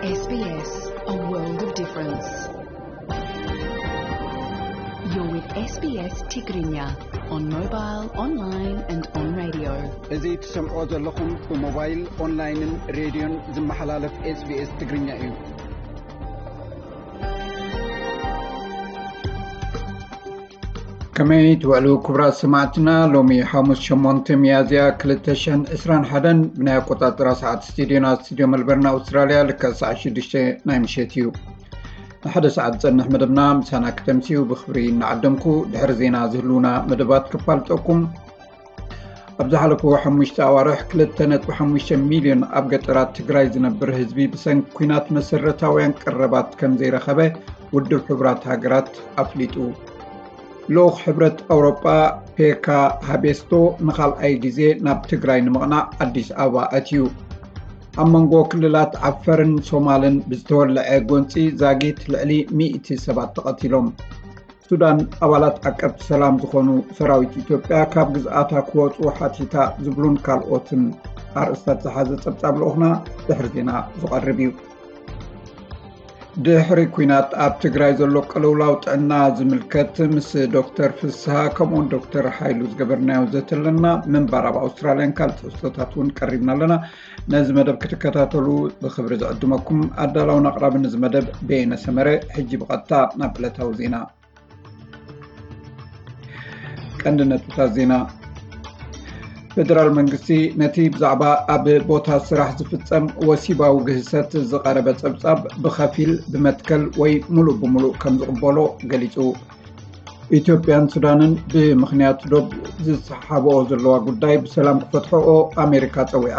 S B S, a world of difference. You're with S B S Tigrinya on mobile, online and on radio. እዚ ትሰምዖ ዘለኹም ብሞባይል፣ ኦንላይንን ሬድዮን ዝመሓላለፍ S B S ትግርኛ እዩ። ከመይ ትውዕሉ ክቡራት ሰማዕትና? ሎሚ ሓሙስ ሸሞንተ ሚያዝያ ክልተ ሽሕን ዕስራን ሓደን ብናይ ኣቆጻጽራ ሰዓት ስቱዲዮና፣ ስቱዲዮ መልበርን ኣውስትራልያ፣ ልክዕ ሰዓት ሽዱሽተ ናይ ምሸት እዩ። ንሓደ ሰዓት ዝጸንሕ መደብና ምሳና ክተምስዩ ብኽብሪ እናዓደምኩ፣ ድሕሪ ዜና ዝህልዉና መደባት ክፋልጠኩም። ኣብ ዝሓለፉ ሓሙሽተ ኣዋርሕ ክልተ ነጥቢ ሓሙሽተ ሚልዮን ኣብ ገጠራት ትግራይ ዝነብር ህዝቢ ብሰንኪ ኲናት መሰረታውያን ቀረባት ከም ዘይረኸበ ውድብ ሕቡራት ሃገራት ኣፍሊጡ። ልኡኽ ሕብረት ኣውሮጳ ፔካ ሃቤስቶ ንኻልኣይ ግዜ ናብ ትግራይ ንምቕናዕ ኣዲስ ኣበባ ኣትዩ። ኣብ መንጎ ክልላት ዓፈርን ሶማልን ብዝተወለዐ ጎንፂ ዛጊት ልዕሊ ሚእቲ ሰባት ተቐቲሎም። ሱዳን ኣባላት ዓቀብቲ ሰላም ዝኾኑ ሰራዊት ኢትዮጵያ ካብ ግዝኣታ ክወፁ ሓቲታ ዝብሉን ካልኦትን ኣርእስታት ዝሓዘ ጸብጻብ ልኡኽና ድሕሪ ዜና ዝቐርብ እዩ። ድሕሪ ኲናት ኣብ ትግራይ ዘሎ ቅልውላው ጥዕና ዝምልከት ምስ ዶክተር ፍስሃ ከምኡውን ዶክተር ሓይሉ ዝገበርናዮ ዘተ ኣለና። ምንባር ኣብ ኣውስትራልያን ካልእ ትሕዝቶታት እውን ቀሪብና ኣለና። ነዚ መደብ ክትከታተሉ ብኽብሪ ዝዕድመኩም ኣዳላውን ኣቕራብን እዚ መደብ በየነ ሰመረ። ሕጂ ብቐጥታ ናብ ዕለታዊ ዜና። ቀንዲ ነጥብታት ዜና። ፌደራል መንግስቲ ነቲ ብዛዕባ ኣብ ቦታ ስራሕ ዝፍጸም ወሲባዊ ግህሰት ዝቐረበ ጸብጻብ ብኸፊል፣ ብመትከል ወይ ሙሉእ ብሙሉእ ከም ዝቕበሎ ገሊጹ። ኢትዮጵያን ሱዳንን ብምኽንያት ዶብ ዝሰሓሓብኦ ዘለዋ ጉዳይ ብሰላም ክፈትሕኦ ኣሜሪካ ጸዊዓ።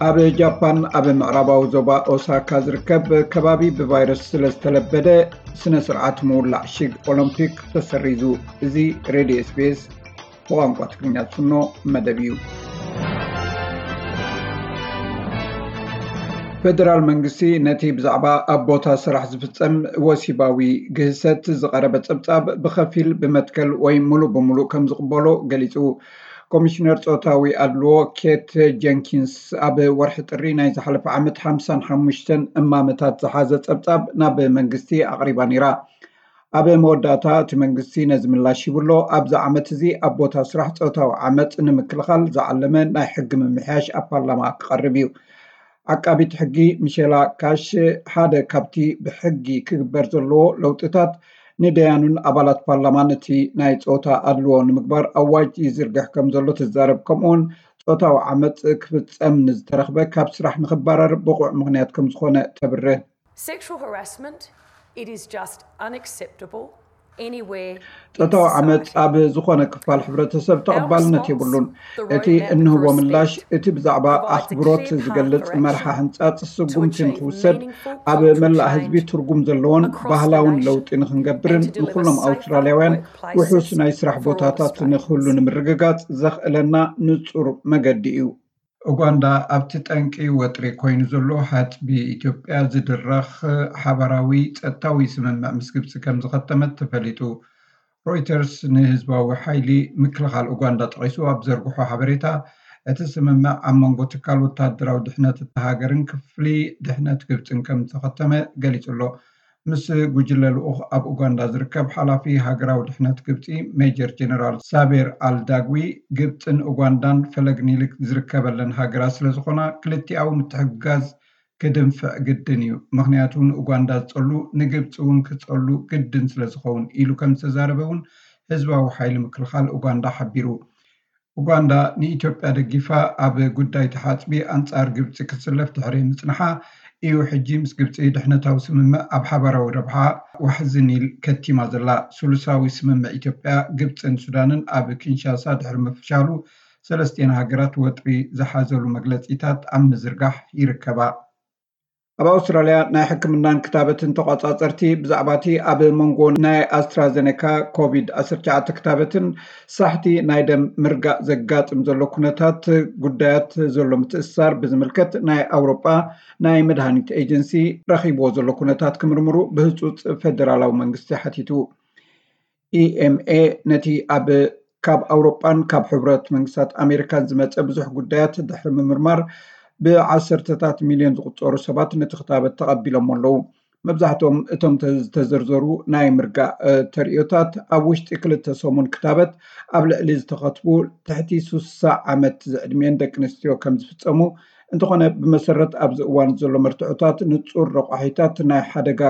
ኣብ ጃፓን ኣብ ምዕራባዊ ዞባ ኦሳካ ዝርከብ ከባቢ ብቫይረስ ስለ ዝተለበደ ስነ ስርዓት ምውላዕ ሽግ ኦሎምፒክ ተሰሪዙ። እዚ ሬድዮ S B S ብቋንቋ ትግርኛ ዝፍኖ መደብ እዩ። ፌደራል መንግስቲ ነቲ ብዛዕባ ኣብ ቦታ ስራሕ ዝፍጸም ወሲባዊ ግህሰት ዝቐረበ ጸብጻብ ብኸፊል፣ ብመትከል ወይ ሙሉእ ብሙሉእ ከም ዝቕበሎ ገሊጹ። ኮሚሽነር ጾታዊ ኣድልዎ ኬት ጀንኪንስ ኣብ ወርሒ ጥሪ ናይ ዝሓለፈ ዓመት ሓምሳን ሓሙሽተን እማመታት ዝሓዘ ጸብጻብ ናብ መንግስቲ ኣቕሪባ ነይራ። ኣብ መወዳእታ እቲ መንግስቲ ነዚ ምላሽ ሂቡ ኣሎ። ኣብዚ ዓመት እዚ ኣብ ቦታ ስራሕ ጾታዊ ዓመጽ ንምክልኻል ዝዓለመ ናይ ሕጊ ምምሕያሽ ኣብ ፓርላማ ክቐርብ እዩ። ዓቃቢት ሕጊ ሚሼላ ካሽ ሓደ ካብቲ ብሕጊ ክግበር ዘለዎ ለውጥታት ንደያኑን ኣባላት ፓርላማን እቲ ናይ ጾታ ኣድልዎ ንምግባር ኣዋጅ ይዝርግሕ ከም ዘሎ ትዛረብ። ከምኡውን ጾታዊ ዓመጽ ክፍጸም ንዝተረኽበ ካብ ስራሕ ንኽባረር ብቑዕ ምኽንያት ከም ዝኾነ ተብርህ። Sexual harassment, it is just unacceptable anywhere in ጾታዊ ዓመጽ society. ኣብ ዝኾነ ክፋል ሕብረተሰብ ተቐባልነት የብሉን። እቲ እንህቦ ምላሽ እቲ ብዛዕባ ኣኽብሮት ዝገልጽ መርሓ ሕንጻጽ ስጉምቲ ንኽውሰድ፣ ኣብ መላእ ህዝቢ ትርጉም ዘለዎን ባህላውን ለውጢ ንኽንገብርን ንኹሎም ኣውስትራልያውያን ውሑስ ናይ ስራሕ ቦታታት ንክህሉ ንምርግጋጽ ዘኽእለና ንጹር መገዲ እዩ። ኡጋንዳ ኣብቲ ጠንቂ ወጥሪ ኮይኑ ዘሎ ሃጽቢ ኢትዮጵያ ዝድረኽ ሓባራዊ ጸጥታዊ ስምምዕ ምስ ግብጺ ከም ዝኸተመት ተፈሊጡ። ሮይተርስ ንህዝባዊ ሓይሊ ምክልኻል ኡጋንዳ ጠቒሱ ኣብ ዘርግሖ ሓበሬታ፣ እቲ ስምምዕ ኣብ መንጎ ትካል ወታደራዊ ድሕነት እታ ሃገርን ክፍሊ ድሕነት ግብጽን ከም ዝተኸተመ ገሊጹ ኣሎ። ምስ ጉጅለ ልኡኽ ኣብ ኡጋንዳ ዝርከብ ሓላፊ ሃገራዊ ድሕነት ግብጺ ሜጀር ጀነራል ሳቤር ኣል ዳግዊ፣ ግብጽን ኡጋንዳን ፈለግ ኒል ዝርከበለን ሃገራት ስለዝኾና ክልቲኣዊ ምትሕግጋዝ ክድንፍዕ ግድን እዩ፣ ምኽንያቱ ንኡጋንዳ ዝጸሉ ንግብጺ እውን ክጸሉ ግድን ስለዝኸውን ኢሉ ከም ዝተዛረበ እውን ህዝባዊ ሓይሊ ምክልኻል ኡጋንዳ ሓቢሩ። ኡጋንዳ ንኢትዮጵያ ደጊፋ ኣብ ጉዳይ ተሓጽቢ ኣንጻር ግብጺ ክትስለፍ ድሕሪ ምጽንሓ እዩ ሕጂ ምስ ግብጺ ድሕነታዊ ስምምዕ ኣብ ሓባራዊ ረብሓ ዋሕዚ ኒል ከቲማ ዘላ። ስሉሳዊ ስምምዕ ኢትዮጵያ፣ ግብጽን ሱዳንን ኣብ ኪንሻሳ ድሕሪ ምፍሻሉ ሰለስቲኤን ሃገራት ወጥሪ ዝሓዘሉ መግለጺታት ኣብ ምዝርጋሕ ይርከባ። ኣብ ኣውስትራልያ ናይ ሕክምናን ክታበትን ተቋጻጸርቲ ብዛዕባ እቲ ኣብ መንጎ ናይ ኣስትራዘኔካ ኮቪድ ዓሰርተ ትሽዓተ ክታበትን ሳሕቲ ናይ ደም ምርጋእ ዘጋጥም ዘሎ ኩነታት ጉዳያት ዘሎ ምትእስሳር ብዝምልከት ናይ ኣውሮጳ ናይ መድሃኒት ኤጀንሲ ረኺብዎ ዘሎ ኩነታት ክምርምሩ ብህጹጽ ፌደራላዊ መንግስቲ ሓቲቱ። E M A ነቲ ኣብ ካብ ኣውሮጳን ካብ ሕቡራት መንግስታት ኣሜሪካን ዝመጸ ብዙሕ ጉዳያት ድሕሪ ምምርማር ብዓሰርተታት ሚልዮን ዝቑጸሩ ሰባት ነቲ ክታበት ተቐቢሎሞ ኣለዉ። መብዛሕትኦም እቶም ዝተዘርዘሩ ናይ ምርጋእ ተርእዮታት ኣብ ውሽጢ ክልተ ሰሙን ክታበት ኣብ ልዕሊ ዝተኸትቡ ትሕቲ ሱሳ ዓመት ዝዕድሚኤን ደቂ ኣንስትዮ ከም ዝፍጸሙ፣ እንተኾነ ብመሰረት ኣብዚ እዋን ዘሎ መርትዖታት ንጹር ረቋሒታት ናይ ሓደጋ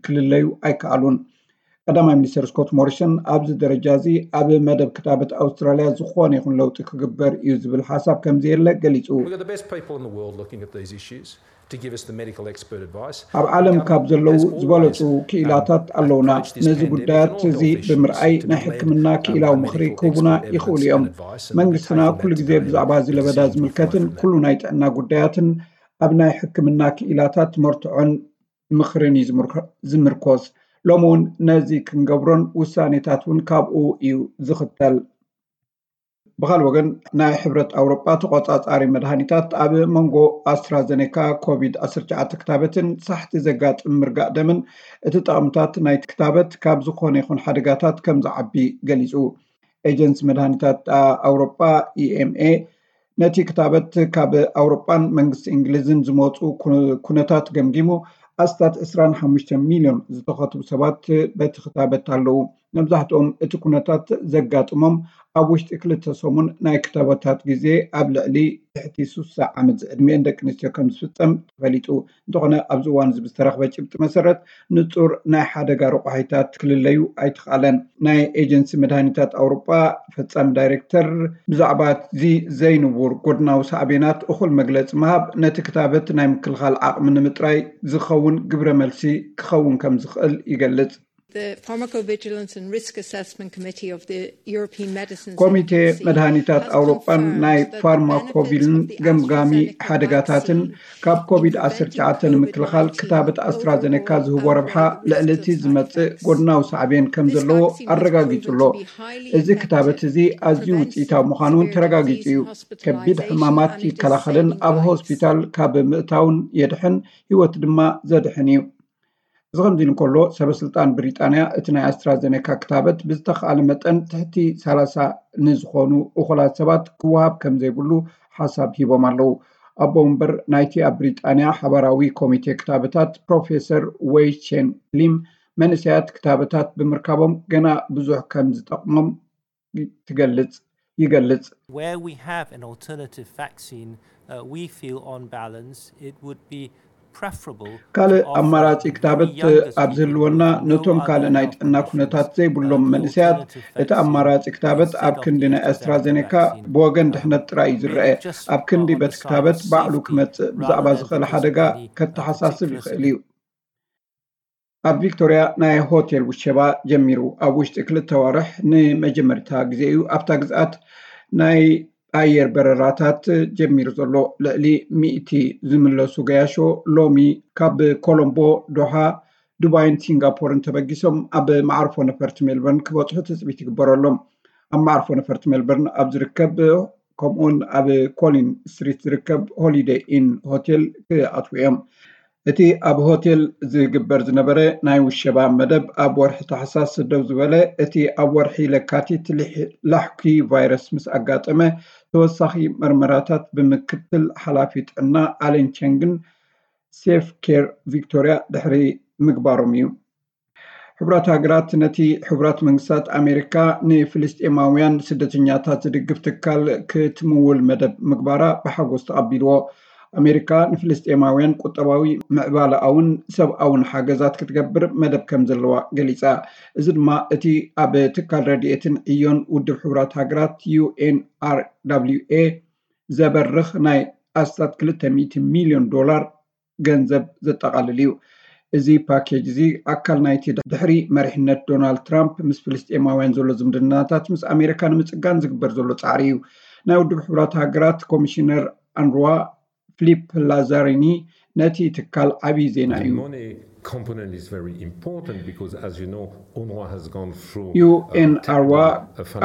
ክልለዩ ኣይከኣሉን። ቀዳማይ ሚኒስትር ስኮት ሞሪሰን ኣብዚ ደረጃ እዚ ኣብ መደብ ክታበት ኣውስትራልያ ዝኾነ ይኹን ለውጢ ክግበር እዩ ዝብል ሓሳብ ከም ዘየለ ገሊጹ። ኣብ ዓለም ካብ ዘለዉ ዝበለጹ ክኢላታት ኣለውና። ነዚ ጉዳያት እዚ ብምርኣይ ናይ ሕክምና ክኢላዊ ምኽሪ ክህቡና ይኽእሉ እዮም። መንግስትና ኩሉ ግዜ ብዛዕባ እዚ ለበዳ ዝምልከትን ኩሉ ናይ ጥዕና ጉዳያትን ኣብ ናይ ሕክምና ክኢላታት መርትዖን ምኽርን እዩ ዝምርኮስ። ሎሚ እውን ነዚ ክንገብሮን ውሳኔታት እውን ካብኡ እዩ ዝኽተል። ብኻልእ ወገን ናይ ሕብረት ኣውሮጳ ተቆጻጻሪ መድሃኒታት ኣብ መንጎ ኣስትራዘኔካ ኮቪድ ዓሰርተ ትሽዓተ ክታበትን ሳሕቲ ዘጋጥም ምርጋእ ደምን እቲ ጠቕምታት ናይቲ ክታበት ካብ ዝኾነ ይኹን ሓደጋታት ከም ዝዓቢ ገሊጹ። ኤጀንሲ መድሃኒታት ኣውሮጳ ኢኤምኤ ነቲ ክታበት ካብ ኣውሮጳን መንግስቲ እንግሊዝን ዝመፁ ኩነታት ገምጊሙ ኣስታት ዕስራን ሓሙሽተ ሚልዮን ዝተኸትቡ ሰባት በቲ ክታበት ኣለዉ። መብዛሕትኦም እቲ ኩነታት ዘጋጥሞም ኣብ ውሽጢ ክልተ ሰሙን ናይ ክታበታት ግዜ ኣብ ልዕሊ ትሕቲ ሱሳ ዓመት ዝዕድሚኤን ደቂ ኣንስትዮ ከም ዝፍጸም ተፈሊጡ። እንተኾነ ኣብዚ እዋን እዚ ብዝተረኽበ ጭብጢ መሰረት ንጹር ናይ ሓደጋ ረቋሒታት ክልለዩ ኣይተኻለን። ናይ ኤጀንሲ መድሃኒታት ኣውሮጳ ፈጻሚ ዳይሬክተር ብዛዕባ እዚ ዘይንቡር ጎድናዊ ሳዕቤናት እኹል መግለጺ ምሃብ ነቲ ክታበት ናይ ምክልኻል ዓቕሚ ንምጥራይ ዝኸውን ግብረ መልሲ ክኸውን ከም ዝኽእል ይገልጽ። The Pharmacovigilance and Risk Assessment Committee of the European Medicines ኮሚቴ Agency መድሃኒታት has ኣውሮጳን confirmed ናይ that the ፋርማኮቪልን benefits of the ገምጋሚ AstraZeneca ሓደጋታትን vaccine ካብ ኮቪድ ዓሰርተ ትሽዓተ ንምክልኻል ክታበት ኣስትራዘኔካ ዝህቦ ረብሓ ልዕሊ እቲ ዝመጽእ ጎድናዊ ሳዕቤን ከም ዘለዎ ኣረጋጊጹ ኣሎ። እዚ ክታበት እዚ ኣዝዩ ውጽኢታዊ ምዃኑ እውን ተረጋጊጹ እዩ። ከቢድ ሕማማት ይከላኸልን ኣብ ሆስፒታል ካብ ምእታውን የድሕን፣ ህይወት ድማ ዘድሕን እዩ። እዚ ከምዚ እንከሎ፣ ሰበስልጣን ብሪጣንያ እቲ ናይ ኣስትራዘኔካ ክታበት ብዝተኻእለ መጠን ትሕቲ ሰላሳ ንዝኾኑ እኹላት ሰባት ክወሃብ ከም ዘይብሉ ሓሳብ ሂቦም ኣለዉ። ኣቦ ወንበር ናይቲ ኣብ ብሪጣንያ ሓባራዊ ኮሚቴ ክታበታት ፕሮፌሰር ዌይ ቼን ሊም፣ መንእሰያት ክታበታት ብምርካቦም ገና ብዙሕ ከም ዝጠቕሞም ትገልጽ ይገልጽ። Where we have an alternative vaccine, uh, we feel on balance it would be ካልእ ኣማራጺ ክታበት ኣብ ዝህልወና፣ ነቶም ካልእ ናይ ጥዕና ኩነታት ዘይብሎም መንእሰያት እቲ ኣማራጺ ክታበት ኣብ ክንዲ ናይ ኣስትራዘኔካ ብወገን ድሕነት ጥራይ እዩ ዝረአ። ኣብ ክንዲ በቲ ክታበት ባዕሉ ክመጽእ ብዛዕባ ዝኽእል ሓደጋ ከተሓሳስብ ይኽእል እዩ። ኣብ ቪክቶርያ ናይ ሆቴል ውሸባ ጀሚሩ። ኣብ ውሽጢ ክልተ ወርሕ ንመጀመርታ ግዜ እዩ ኣብታ ግዝኣት ናይ ኣየር በረራታት ጀሚሩ ዘሎ። ልዕሊ ሚእቲ ዝምለሱ ገያሾ ሎሚ ካብ ኮሎምቦ፣ ዶሃ፣ ዱባይን ሲንጋፖርን ተበጊሶም ኣብ መዓርፎ ነፈርቲ ሜልበርን ክበፅሑ ትፅቢት ይግበረሎም። ኣብ መዓርፎ ነፈርቲ ሜልበርን ኣብ ዝርከብ ከምኡውን ኣብ ኮሊን ስትሪት ዝርከብ ሆሊደይ ኢን ሆቴል ክኣትዉ እዮም። እቲ ኣብ ሆቴል ዝግበር ዝነበረ ናይ ውሸባ መደብ ኣብ ወርሒ ታሕሳስ ደው ዝበለ፣ እቲ ኣብ ወርሒ ለካቲት ላሕኪ ቫይረስ ምስ ኣጋጠመ ተወሳኺ መርመራታት ብምክትል ሓላፊ ጥዕና ኣለን ቸንግን ሴፍ ኬር ቪክቶርያ ድሕሪ ምግባሮም እዩ። ሕቡራት ሃገራት ነቲ ሕቡራት መንግስታት ኣሜሪካ ንፍልስጤማውያን ስደተኛታት ዝድግፍ ትካል ክትምውል መደብ ምግባራ ብሓጎስ ተቐቢልዎ። ኣሜሪካ ንፍልስጤማውያን ቁጠባዊ፣ ምዕባለኣውን ሰብኣውን ሓገዛት ክትገብር መደብ ከም ዘለዋ ገሊጻ። እዚ ድማ እቲ ኣብ ትካል ረድኤትን ዕዮን ውድብ ሕቡራት ሃገራት ዩ ኤን ኣር ደብሊው ኤ ዘበርኽ ናይ ኣስታት ክልተ ሚእቲ ሚልዮን ዶላር ገንዘብ ዘጠቓልል እዩ። እዚ ፓኬጅ እዚ ኣካል ናይቲ ድሕሪ መሪሕነት ዶናልድ ትራምፕ ምስ ፍልስጤማውያን ዘሎ ዝምድናታት ምስ ኣሜሪካ ንምጽጋን ዝግበር ዘሎ ጻዕሪ እዩ። ናይ ውድብ ሕቡራት ሃገራት ኮሚሽነር ኣንድርዋ ፊሊፕ ላዛሪኒ ነቲ ትካል ዓብዪ ዜና እዩ። component is very important because, as you know, UNRWA has gone through ዩ ኤን ኣር ዋ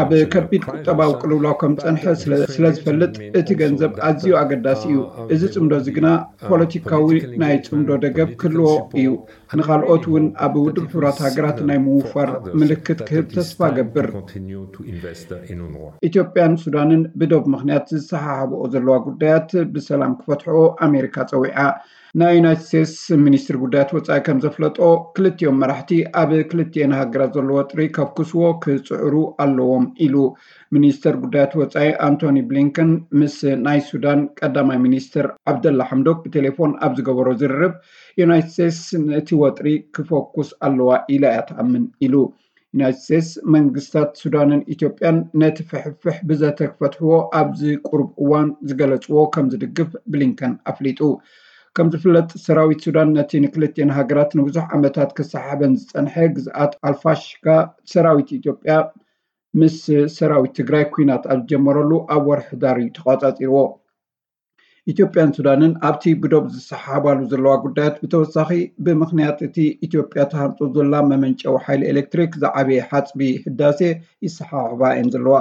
ኣብ ከቢድ ቁጠባዊ ቅልውላው ከም ዝጸንሐ ስለ ዝፈልጥ፣ እቲ ገንዘብ ኣዝዩ ኣገዳሲ እዩ። እዚ ጽምዶ እዚ ግና ፖለቲካዊ ናይ ጽምዶ ደገፍ ክህልዎ እዩ። ንኻልኦት እውን ኣብ ውድብ ሕቡራት ሃገራት ናይ ምውፋር ምልክት ክህብ ተስፋ ገብር። ኢትዮጵያን ሱዳንን ብዶብ ምኽንያት ዝሰሓሓብኦ ዘለዋ ጉዳያት ብሰላም ክፈትሕኦ ኣሜሪካ ጸዊዓ። ናይ ዩናይትድ ስቴትስ ሚኒስትሪ ጉዳያት ወፃኢ ከም ዘፍለጦ፣ ክልቲኦም መራሕቲ ኣብ ክልቲኤን ሃገራት ዘሎ ወጥሪ ከፍኩስዎ ክፅዕሩ ኣለዎም ኢሉ። ሚኒስተር ጉዳያት ወፃኢ ኣንቶኒ ብሊንከን ምስ ናይ ሱዳን ቀዳማይ ሚኒስትር ዓብደላ ሓምዶክ ብቴሌፎን ኣብ ዝገበሮ ዝርርብ፣ ዩናይትድ ስቴትስ ነቲ ወጥሪ ክፈኩስ ኣለዋ ኢላ እያ ትኣምን ኢሉ። ዩናይትድ ስቴትስ መንግስታት ሱዳንን ኢትዮጵያን ነቲ ፍሕፍሕ ብዘተ ክፈትሕዎ ኣብዚ ቁሩብ እዋን ዝገለፅዎ ከም ዝድግፍ ብሊንከን ኣፍሊጡ። ከም ዝፍለጥ ሰራዊት ሱዳን ነቲ ንክልቲኤን ሃገራት ንብዙሕ ዓመታት ክሰሓበን ዝፀንሐ ግዝኣት ኣልፋሽጋ ሰራዊት ኢትዮጵያ ምስ ሰራዊት ትግራይ ኲናት ኣብ ዝጀመረሉ ኣብ ወርሒ ሕዳር እዩ ተቋፃፂርዎ። ኢትዮጵያን ሱዳንን ኣብቲ ብዶብ ዝሰሓሓባሉ ዘለዋ ጉዳያት ብተወሳኺ ብምኽንያት እቲ ኢትዮጵያ ትሃንጾ ዘላ መመንጨዊ ሓይሊ ኤሌክትሪክ ዝዓበየ ሓጽቢ ህዳሴ ይሰሓሓባ እየን ዘለዋ።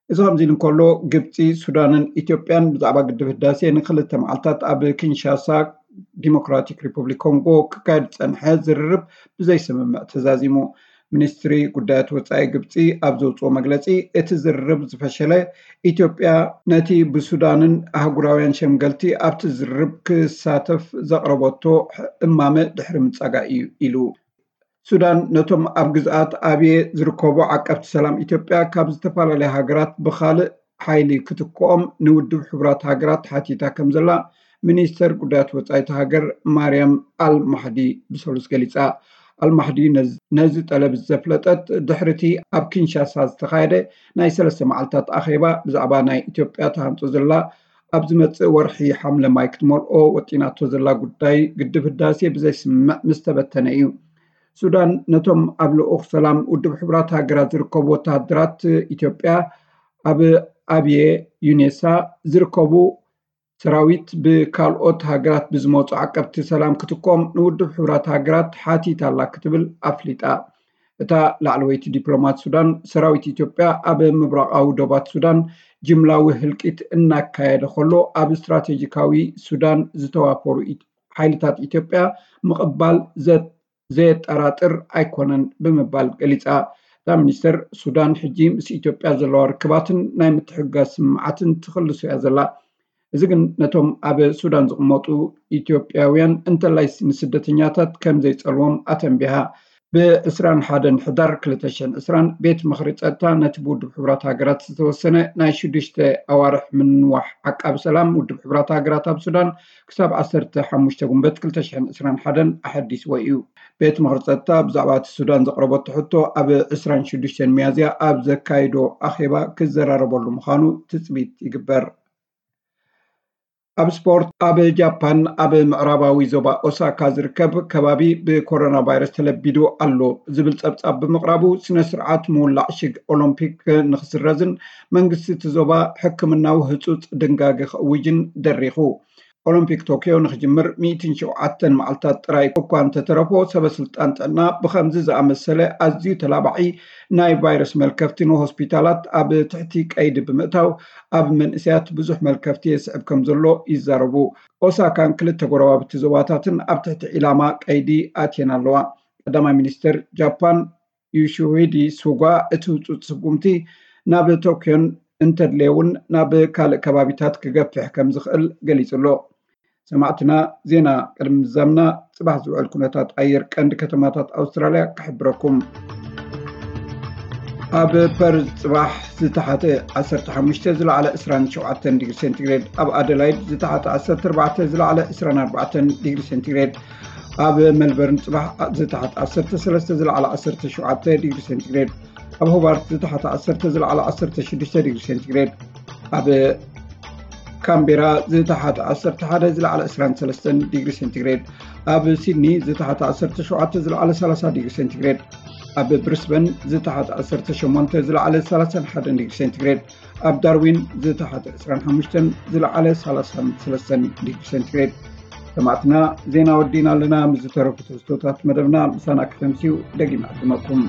እዚ ከምዚ ኢሉ እንከሎ ግብፂ፣ ሱዳንን ኢትዮጵያን ብዛዕባ ግድብ ህዳሴ ንክልተ መዓልታት ኣብ ኪንሻሳ ዲሞክራቲክ ሪፐብሊክ ኮንጎ ክካየድ ዝጸንሐ ዝርርብ ብዘይስምምዕ ተዛዚሙ። ሚኒስትሪ ጉዳያት ወፃኢ ግብፂ ኣብ ዘውፅኦ መግለፂ፣ እቲ ዝርርብ ዝፈሸለ ኢትዮጵያ ነቲ ብሱዳንን ኣህጉራውያን ሸምገልቲ ኣብቲ ዝርርብ ክሳተፍ ዘቕረበቶ እማመ ድሕሪ ምፃጋ እዩ ኢሉ። ሱዳን ነቶም ኣብ ግዝኣት ኣብየ ዝርከቡ ዓቀብቲ ሰላም ኢትዮጵያ ካብ ዝተፈላለያ ሃገራት ብኻልእ ሓይሊ ክትክኦም ንውድብ ሕቡራት ሃገራት ሓቲታ ከም ዘላ ሚኒስተር ጉዳያት ወፃኢቲ ሃገር ማርያም ኣል ማሕዲ ብሰሉስ ገሊፃ። ኣልማሕዲ ነዚ ጠለብ ዘፍለጠት ድሕርቲ ኣብ ኪንሻሳ ዝተኻየደ ናይ ሰለስተ መዓልታት ኣኼባ ብዛዕባ ናይ ኢትዮጵያ ተሃንጦ ዘላ ኣብ ዝመፅእ ወርሒ ሓምለ ማይ ክትመልኦ ወጢናቶ ዘላ ጉዳይ ግድብ ህዳሴ ብዘይስምምዕ ምስ ተበተነ እዩ። ሱዳን ነቶም ኣብ ልኡኽ ሰላም ውድብ ሕቡራት ሃገራት ዝርከቡ ወተሃደራት ኢትዮጵያ ኣብ ኣብየ ዩኔሳ ዝርከቡ ሰራዊት ብካልኦት ሃገራት ብዝመፁ ዓቀብቲ ሰላም ክትኮም ንውድብ ሕቡራት ሃገራት ሓቲታ ኣላ ክትብል ኣፍሊጣ። እታ ላዕለወይቲ ዲፕሎማት ሱዳን፣ ሰራዊት ኢትዮጵያ ኣብ ምብራቓዊ ዶባት ሱዳን ጅምላዊ ህልቂት እናካየደ ከሎ ኣብ ስትራቴጂካዊ ሱዳን ዝተዋፈሩ ሓይልታት ኢትዮጵያ ምቕባል ዘየጠራጥር ኣይኮነን ብምባል ገሊፃ። እታ ሚኒስተር፣ ሱዳን ሕጂ ምስ ኢትዮጵያ ዘለዋ ርክባትን ናይ ምትሕግጋዝ ስምምዓትን ትኽልሶ እያ ዘላ። እዚ ግን ነቶም ኣብ ሱዳን ዝቕመጡ ኢትዮጵያውያን እንተላይ ንስደተኛታት ከም ዘይፀልዎም ኣተንቢሃ። ብ ዕስራን ሓደን ሕዳር ክልተ ሽሕን ዕስራን ቤት ምኽሪ ፀጥታ ነቲ ብውድብ ሕቡራት ሃገራት ዝተወሰነ ናይ ሽዱሽተ ኣዋርሕ ምንዋሕ ዓቃቢ ሰላም ውድብ ሕቡራት ሃገራት ኣብ ሱዳን ክሳብ ዓሰርተ ሓሙሽተ ጉንበት ክልተ ሽሕን ዕስራን ሓደን ኣሐዲስዎ እዩ። ቤት ምኽሪ ፀጥታ ብዛዕባ እቲ ሱዳን ዘቕረበቶ ሕቶ ኣብ ዕስራን ሽዱሽተን ሚያዝያ ኣብ ዘካይዶ ኣኼባ ክዘራረበሉ ምዃኑ ትፅቢት ይግበር። ኣብ ስፖርት፣ ኣብ ጃፓን ኣብ ምዕራባዊ ዞባ ኦሳካ ዝርከብ ከባቢ ብኮሮና ቫይረስ ተለቢዱ ኣሎ ዝብል ጸብጻብ ብምቕራቡ፣ ስነ ስርዓት ምውላዕ ሽግ ኦሎምፒክ ንኽስረዝን መንግስቲ እቲ ዞባ ሕክምናዊ ህጹጽ ድንጋገ ክእውጅን ደሪኹ። ኦሎምፒክ ቶክዮ ንኽጅምር ሚእትን ሸውዓተን መዓልታት ጥራይ እኳ እንተተረፎ፣ ሰበ ስልጣን ጥዕና ብኸምዚ ዝኣመሰለ ኣዝዩ ተላባዒ ናይ ቫይረስ መልከፍቲ ንሆስፒታላት ኣብ ትሕቲ ቀይዲ ብምእታው፣ ኣብ መንእሰያት ብዙሕ መልከፍቲ የስዕብ ከም ዘሎ ይዛረቡ። ኦሳካን ክልተ ጎረባብቲ ዞባታትን ኣብ ትሕቲ ዒላማ ቀይዲ ኣትየን ኣለዋ። ቀዳማይ ሚኒስትር ጃፓን ዩሺሂዲ ሱጋ፣ እቲ ህጹጽ ስጉምቲ ናብ ቶክዮን እንተድልየ እውን ናብ ካልእ ከባቢታት ክገፍሕ ከም ዝኽእል ገሊጹ ኣሎ። ሰማዕትና፣ ዜና ቅድሚ ምዛምና፣ ጽባሕ ዝውዕል ኩነታት ኣየር ቀንዲ ከተማታት ኣውስትራልያ ክሕብረኩም። ኣብ ፐርዝ ጽባሕ ዝተሓተ ዓሰርተ ሓሙሽተ፣ ዝለዓለ ዕስራን ሸውዓተን ዲግሪ ሴንቲግሬድ፣ ኣብ ኣደላይድ ዝተሓተ ዓሰርተ ኣርባዕተ፣ ዝለዓለ ዕስራን ኣርባዕተን ዲግሪ ሴንቲግሬድ፣ ኣብ ሜልበርን ጽባሕ ዝተሓተ ዓሰርተ ሰለስተ፣ ዝለዓለ ዓሰርተ ሸውዓተ ዲግሪ ሴንቲግሬድ፣ ኣብ ሆባርት ዝተሓተ ዓሰርተ፣ ዝለዓለ ዓሰርተ ሽዱሽተ ዲግሪ ሴንቲግሬድ፣ ኣብ ካምቤራ ዝተሓተ ዓሰርተ ሓደ፣ ዝለዓለ ዕስራን ሰለስተን ዲግሪ ሴንቲግሬድ፣ ኣብ ሲድኒ ዝተሓተ ዓሰርተ ሸውዓተ፣ ዝለዓለ ሰላሳ ዲግሪ ሴንቲግሬድ፣ ኣብ ብሪስበን ዝተሓተ ዓሰርተ ሸሞንተ፣ ዝለዓለ ሰላሳን ሓደን ዲግሪ ሴንቲግሬድ፣ ኣብ ዳርዊን ዝተሓተ ዕስራን ሓሙሽተን፣ ዝለዓለ ሰላሳን ሰለስተን ዲግሪ ሴንቲግሬድ፣ ሰማዕትና፣ ዜና ወዲእና ኣለና። ምስ ዝተረፉ ትሕዝቶታት መደብና ምሳና ክተምስዩ ደጊም ዕድመኩም።